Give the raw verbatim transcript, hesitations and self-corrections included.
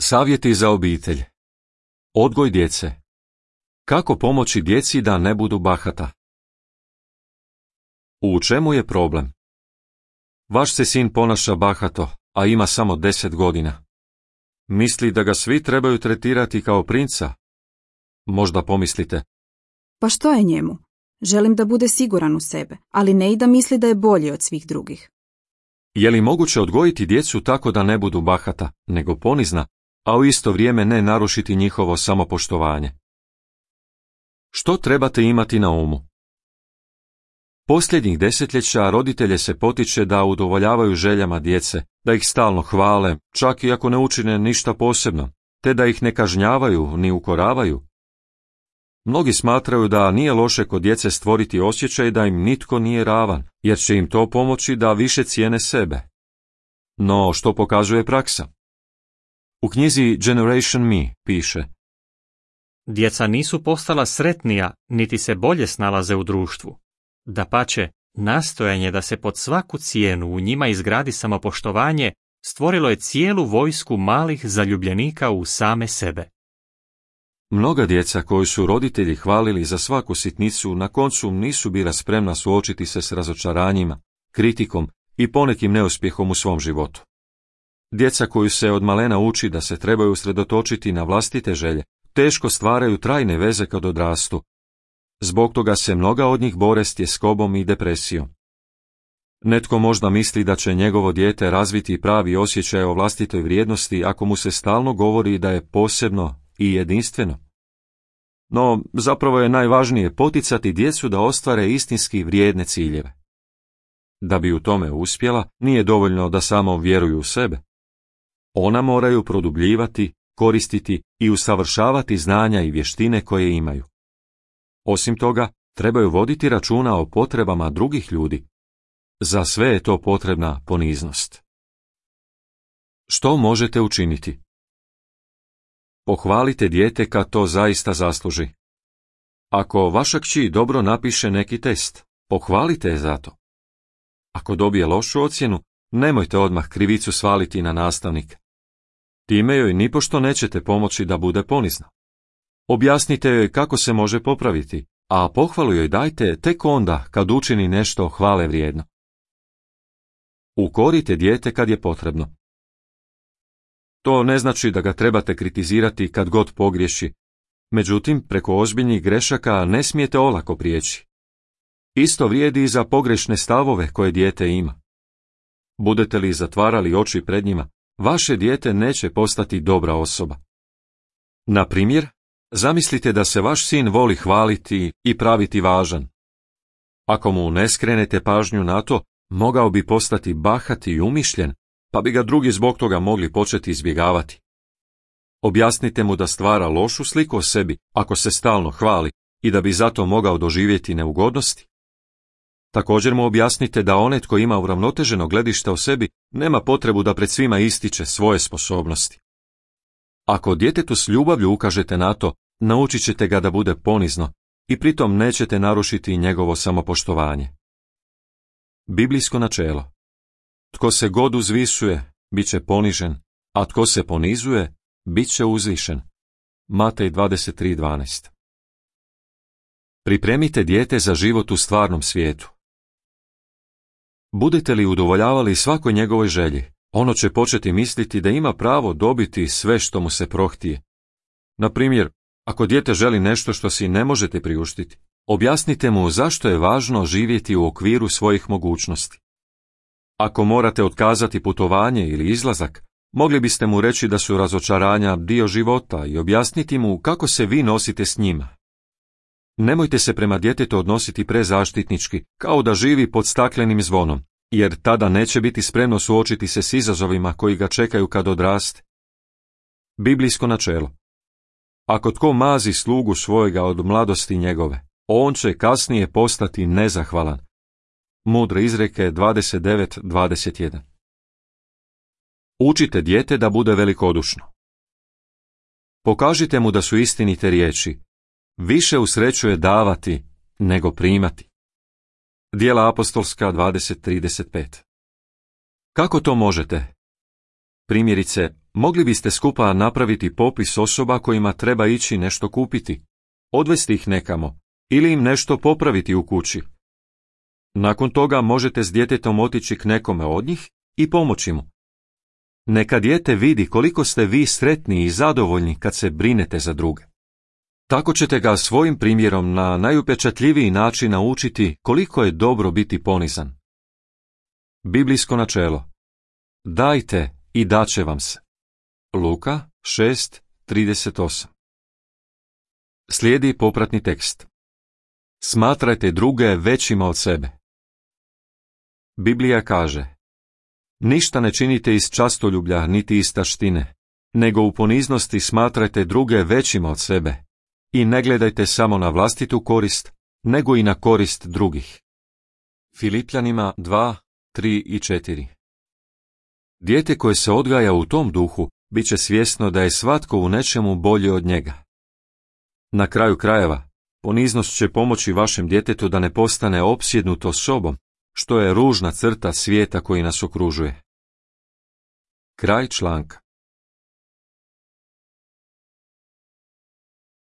Savjeti za obitelj. Odgoj djece. Kako pomoći djeci da ne budu bahata? U čemu je problem? Vaš se sin ponaša bahato, a ima samo deset godina. Misli da ga svi trebaju tretirati kao princa? Možda pomislite: pa što je njemu? Želim da bude siguran u sebe, ali ne i da misli da je bolji od svih drugih. Je li moguće odgojiti djecu tako da ne budu bahata, nego ponizna, a u isto vrijeme ne narušiti njihovo samopoštovanje? Što trebate imati na umu? Posljednjih desetljeća roditelje se potiče da udovoljavaju željama djece, da ih stalno hvale, čak i ako ne učine ništa posebno, te da ih ne kažnjavaju ni ukoravaju. Mnogi smatraju da nije loše kod djece stvoriti osjećaj da im nitko nije ravan, jer će im to pomoći da više cijene sebe. No, što pokazuje praksa? U knjizi Generation Me piše: djeca nisu postala sretnija, niti se bolje snalaze u društvu. Dapače, nastojanje da se pod svaku cijenu u njima izgradi samopoštovanje stvorilo je cijelu vojsku malih zaljubljenika u same sebe. Mnoga djeca koju su roditelji hvalili za svaku sitnicu na koncu nisu bila spremna suočiti se s razočaranjima, kritikom i ponekim neuspjehom u svom životu. Djeca koju se od malena uči da se trebaju usredotočiti na vlastite želje, teško stvaraju trajne veze kad odrastu. Zbog toga se mnoga od njih bore s tjeskobom i depresijom. Netko možda misli da će njegovo dijete razviti pravi osjećaj o vlastitoj vrijednosti ako mu se stalno govori da je posebno i jedinstveno. No, zapravo je najvažnije poticati djecu da ostvare istinski vrijedne ciljeve. Da bi u tome uspjela, nije dovoljno da samo vjeruju u sebe. Ona moraju produbljivati, koristiti i usavršavati znanja i vještine koje imaju. Osim toga, trebaju voditi računa o potrebama drugih ljudi. Za sve je to potrebna poniznost. Što možete učiniti? Pohvalite dijete kad to zaista zasluži. Ako vaša kći dobro napiše neki test, pohvalite je za to. Ako dobije lošu ocjenu, nemojte odmah krivicu svaliti na nastavnike. Time joj nipošto nećete pomoći da bude ponizna. Objasnite joj kako se može popraviti, a pohvalu joj dajte tek onda kad učini nešto hvale vrijedno. Ukorite dijete kad je potrebno. To ne znači da ga trebate kritizirati kad god pogriješi, međutim, preko ozbiljnih grešaka ne smijete olako prijeći. Isto vrijedi i za pogrešne stavove koje dijete ima. Budete li zatvarali oči pred njima, vaše dijete neće postati dobra osoba. Na primjer, zamislite da se vaš sin voli hvaliti i praviti važan. Ako mu ne skrenete pažnju na to, mogao bi postati bahat i umišljen, pa bi ga drugi zbog toga mogli početi izbjegavati. Objasnite mu da stvara lošu sliku o sebi ako se stalno hvali i da bi zato mogao doživjeti neugodnosti. Također mu objasnite da onaj tko ima uravnoteženo gledište o sebi nema potrebu da pred svima ističe svoje sposobnosti. Ako djetetu s ljubavlju ukažete na to, naučit ćete ga da bude ponizno i pritom nećete narušiti njegovo samopoštovanje. Biblijsko načelo: tko se god uzvisuje, bit će ponižen, a tko se ponizuje, bit će uzvišen. Matej dvadeset tri dvanaest. Pripremite dijete za život u stvarnom svijetu. Budete li udovoljavali svakoj njegovoj želji, ono će početi misliti da ima pravo dobiti sve što mu se prohtije. Na primjer, ako dijete želi nešto što si ne možete priuštiti, objasnite mu zašto je važno živjeti u okviru svojih mogućnosti. Ako morate otkazati putovanje ili izlazak, mogli biste mu reći da su razočaranja dio života i objasniti mu kako se vi nosite s njima. Nemojte se prema djetetu odnositi prezaštitnički, kao da živi pod staklenim zvonom, jer tada neće biti spremno suočiti se s izazovima koji ga čekaju kad odraste. Biblijsko načelo: ako tko mazi slugu svojega od mladosti njegove, on će kasnije postati nezahvalan. Mudre izreke dvadeset devet dvadeset jedan. Učite dijete da bude velikodušno. Pokažite mu da su istinite riječi: više usrećuje davati nego primati. Djela apostolska dvadeset trideset pet. Kako to možete? Primjerice, Mogli biste skupa napraviti popis osoba kojima treba ići nešto kupiti, odvesti ih nekamo ili im nešto popraviti u kući. Nakon toga možete s djetetom otići k nekome od njih i pomoći mu. Neka dijete vidi koliko ste vi sretni i zadovoljni kad se brinete za druge. Tako ćete ga svojim primjerom na najupečatljiviji način naučiti koliko je dobro biti ponizan. Biblijsko načelo. Dajte i daće vam se. Luka šest trideset osam. Slijedi popratni tekst. Smatrajte druge većima od sebe. Biblija kaže: ništa ne činite iz častoljublja niti iz taštine, nego u poniznosti smatrajte druge većima od sebe i ne gledajte samo na vlastitu korist, nego i na korist drugih. Filipljanima dva, tri i četiri. Dijete koje se odgaja u tom duhu bit će svjesno da je svatko u nečemu bolji od njega. Na kraju krajeva, poniznost će pomoći vašem djetetu da ne postane opsjednuto sobom, što je ružna crta svijeta koji nas okružuje. Kraj članka.